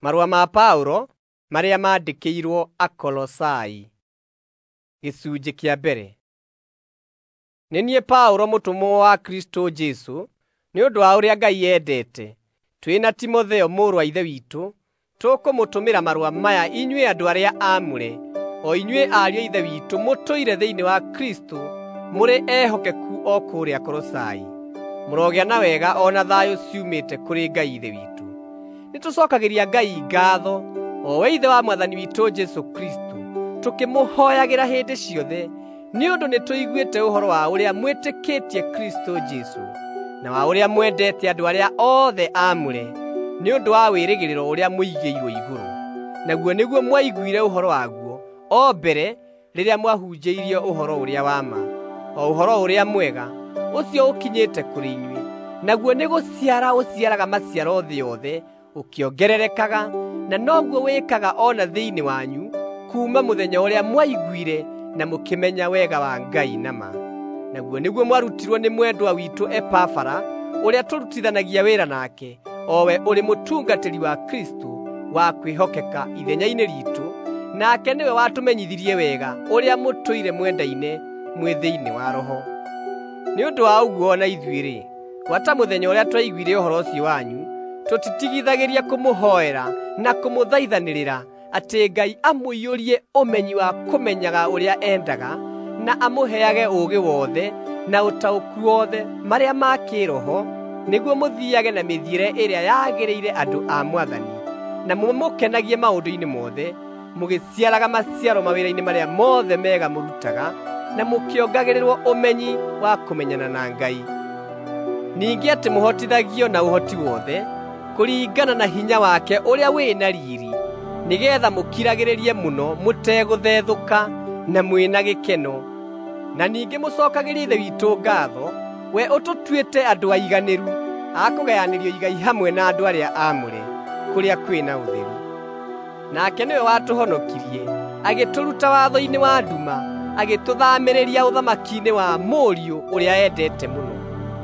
Marũa ma Paũlo marĩa maandĩkĩirwo Akolosai. Gĩcunjĩ kĩa mbere. Nĩ niĩ Paũlo mũtũmwo wa Kristũ Jesũ nĩ ũndũ wa ũrĩa Ngai endete, twĩ na Timotheo mũrũ wa Ithe witũ, tũkũmũtũmĩra marũa maya inyuĩ andũ arĩa aamũre, o inyuĩ ariũ a Ithe witũ mũtũire thĩinĩ wa Kristũ mũrĩ ehokeku o kũrĩa Kolosai. Mũrogĩa na wega o na thayũ ciumĩte kũrĩ Ngai Ithe witũ. Nĩtũcookagĩria Ngai ngaatho, o we Ithe wa Mwathani witũ Jesũ Kristũ, tũkĩmũhooyagĩra hĩndĩ ciothe, nĩ ũndũ nĩtũiguĩte ũhoro wa ũrĩa mwĩtĩkĩtie Kristũ Jesũ, na wa ũrĩa mwendete andũ arĩa othe aamũre, nĩ ũndũ wa wĩrĩgĩrĩro ũrĩa mũigĩirwo igũrũ. Naguo nĩguo mwaiguire ũhoro waguo o mbere rĩrĩa mwahunjĩirio ũhoro ũrĩa wa ma, o ũhoro ũrĩa mwega, ũcio ũkinyĩte kũrĩ inyuĩ. Naguo nĩgũciara ũciaraga maciaro thĩ yothe ũkĩongererekaga, na noguo wĩkaga o na thĩinĩ wanyu kuuma mũthenya ũrĩa mwaiguire na mũkĩmenya wega wa Ngai na ma. Naguo nĩguo mwarutirwo nĩ mwendwa witũ Epafara, ũrĩa tũrutithanagia wĩra nake, o we ũrĩ mũtungatĩri wa Kristũ wa kwĩhokeka ithenya-inĩ riitũ, nake nĩwe watũmenyithirie wega ũrĩa mũtũire mwendaine mwĩ thĩinĩ wa Roho. Nĩ ũndũ wa ũguo o na ithuĩ-rĩ, gwata mũthenya ũrĩa twaiguire ũhoro ũcio wanyu, tũtitigithagĩria kũmũhoera na kũmũthaithanĩrĩra atĩ Ngai amũiyũrie ũmenyi wa kũmenyaga ũrĩa endaga, na amũheage ũũgĩ wothe na ũtaũku wothe marĩa ma kĩĩroho, nĩguo mũthiiage na mĩthiĩre ĩrĩa yagĩrĩire andũ a Mwathani, na mũmũkenagie maũndũ-inĩ mothe, mũgĩciaraga maciaro mawĩra-inĩ marĩa mothe mega mũrutaga, na mũkĩongagĩrĩrwo ũmenyi wa kũmenyana na Ngai. Ningĩ atĩ mũhotithagio na ũhoti wothe, kũringana na hinya wake ũrĩa wĩ na riiri, nĩgeetha mũkiragĩrĩrie mũno mũtegũthethũka na mwĩ na gĩkeno. Na ningĩ mũcookagĩrie Ithe witũ ngaatho, we ũtũtuĩte andũ aiganĩru a kũgayanĩrio igai hamwe na andũ arĩa aamũre kũrĩa kwĩ na ũtheru. Nake nĩwe watũhonokirie, agĩtũruta watho-inĩ wa nduma, agĩtũthaamĩrĩria ũthamaki-inĩ wa Mũriũ ũrĩa endete mũno.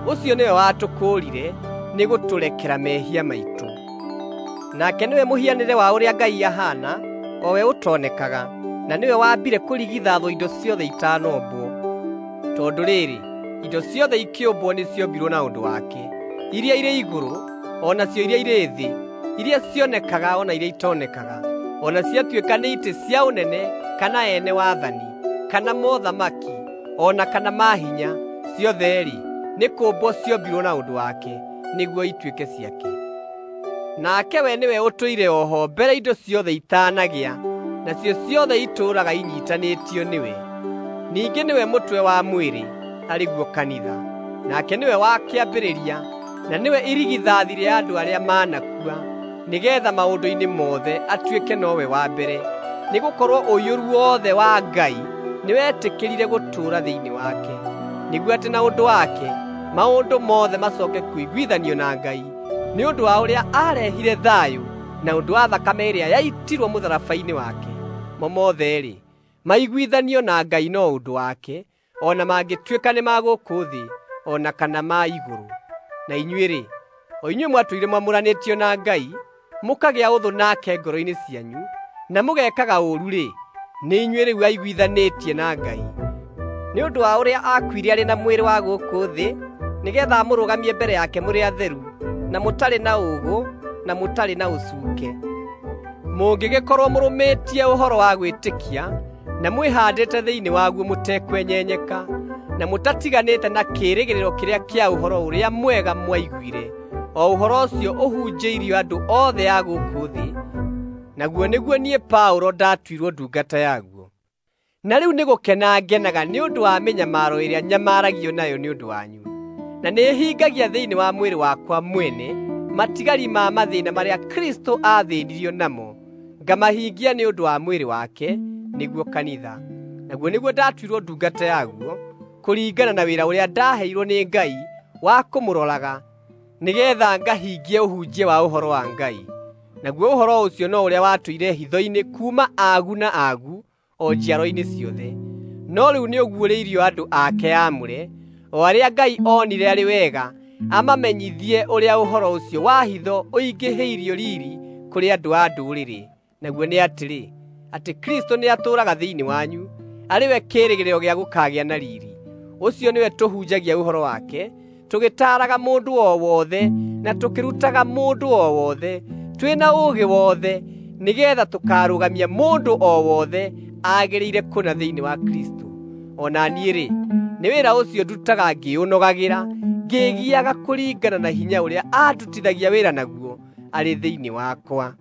Ũcio nĩwe watũkũũrire nĩgũtũrekera mehia maitũ. Nake nĩwe mũhianĩre wa ũrĩa Ngai ahaana, o we ũtonekaga, na nĩwe waambire kũrigithathwo indo ciothe itanombwo. Tondũ rĩrĩ, indo ciothe ikĩũmbwo nĩciombirwo na ũndũ wake, iria irĩ igũrũ o nacio iria irĩ thĩ, iria cionekaga o na iria itonekaga, o na ciatuĩka nĩ itĩ cia ũnene kana ene wathani, kana mothamaki, o na kana maahinya, ciothe-rĩ, nĩ kũũmbwo ciombirwo na ũndũ wake, nĩguo ituĩke ciake. Nake we nĩwe ũtũire o ho mbere indo ciothe itaanagĩa, nacio ciothe itũũraga inyiitanĩtio nĩwe. Ningĩ nĩwe mũtwe wa mwĩrĩ, arĩ guo kanitha. Nake nĩwe wa kĩambĩrĩria, na nĩwe irigithathi rĩa andũ arĩa manakua, nĩgeetha maũndũ-inĩ mothe atuĩke nowe wa mbere. Nĩgũkorwo ũiyũru wothe wa Ngai nĩwetĩkĩrire gũtũũra thĩinĩ wake, nĩguo atĩ na ũndũ wake maũndũ mothe macooke kũiguithanio na Ngai, nĩ ũndũ wa ũrĩa aarehire thayũ na ũndũ wa thakame ĩrĩa yaitirwo mũtharaba-inĩ wake. Mo mothe-rĩ, maiguithanio na Ngai no ũndũ wake, o na mangĩtuĩka nĩ ma gũkũ thĩ o na kana ma igũrũ. Na inyuĩ-rĩ, o inyuĩ mwatũire mwamũranĩtio na Ngai, mũkagĩa ũthũ nake ngoro-inĩ cianyu, na mũgekaga ũũru-rĩ, nĩ inyuĩ rĩu aiguithanĩtie na Ngai. Nĩ ũndũ wa ũrĩa aakuire arĩ na mwĩrĩ wa gũkũ thĩ, nĩgeetha amũrũgamie mbere yake mũrĩ atheru, na mũtarĩ na ũũgũ, na mũtarĩ na ũcuuke. Mũngĩgĩkorwo mũrũmĩtie ũhoro wa gwĩtĩkia, na mwĩhaandĩte thĩinĩ waguo mũtekwenyenyeka, na mũtatiganĩte na kĩĩrĩgĩrĩro kĩrĩa kĩa ũhoro ũrĩa mwega mwaiguire, o ũhoro ũcio ũhunjĩirio andũ othe a gũkũ thĩ, naguo nĩguo niĩ Paũlo ndaatuirwo ndungata yaguo. Na rĩu nĩgũkena ngenaga nĩ ũndũ wa mĩnyamaro ĩrĩa nyamaragio nayo nĩ ũndũ wanyu, na nĩhingagia thĩinĩ wa mwĩrĩ wakwa mwene matigari ma mathĩĩna marĩa Kristũ aathĩĩnirio namo, ngamahingia nĩ ũndũ wa mwĩrĩ wake, nĩguo kanitha. Naguo nĩguo ndaatuirwo ndungata yaguo, kũringana na wĩra ũrĩa ndaaheirwo nĩ Ngai wa kũmũroraga, nĩgeetha ngahingie ũhunjia wa ũhoro wa Ngai. Naguo ũhoro ũcio no ũrĩa watũire hitho-inĩ kuuma aagu na aagu o njiaro-inĩ ciothe, no rĩu nĩũguũrĩirio andũ ake aamũre, o arĩa Ngai oonire arĩ wega amamenyithie ũrĩa ũhoro ũcio wa hitho ũingĩhĩirio riiri kũrĩ andũ a ndũrĩrĩ, naguo nĩ atĩrĩ, atĩ Kristũ nĩatũũraga thĩinĩ wanyu, arĩ we kĩĩrĩgĩrĩro gĩa gũkaagĩa na riiri. Ũcio nĩwe tũhunjagia ũhoro wake, tũgĩtaaraga mũndũ o wothe na tũkĩrutaga mũndũ o wothe, twĩna ũũgĩ wothe, nĩgeetha tũkaarũgamia mũndũ o wothe agĩrĩire kũna thĩinĩ wa Kristũ. O na niĩ-rĩ, nĩ wĩra ũcio ndutaga ngĩũnogagĩra, ngĩĩgiaga kũringana na hinya ũrĩa andutithagia wĩra naguo arĩ thĩinĩ wakwa.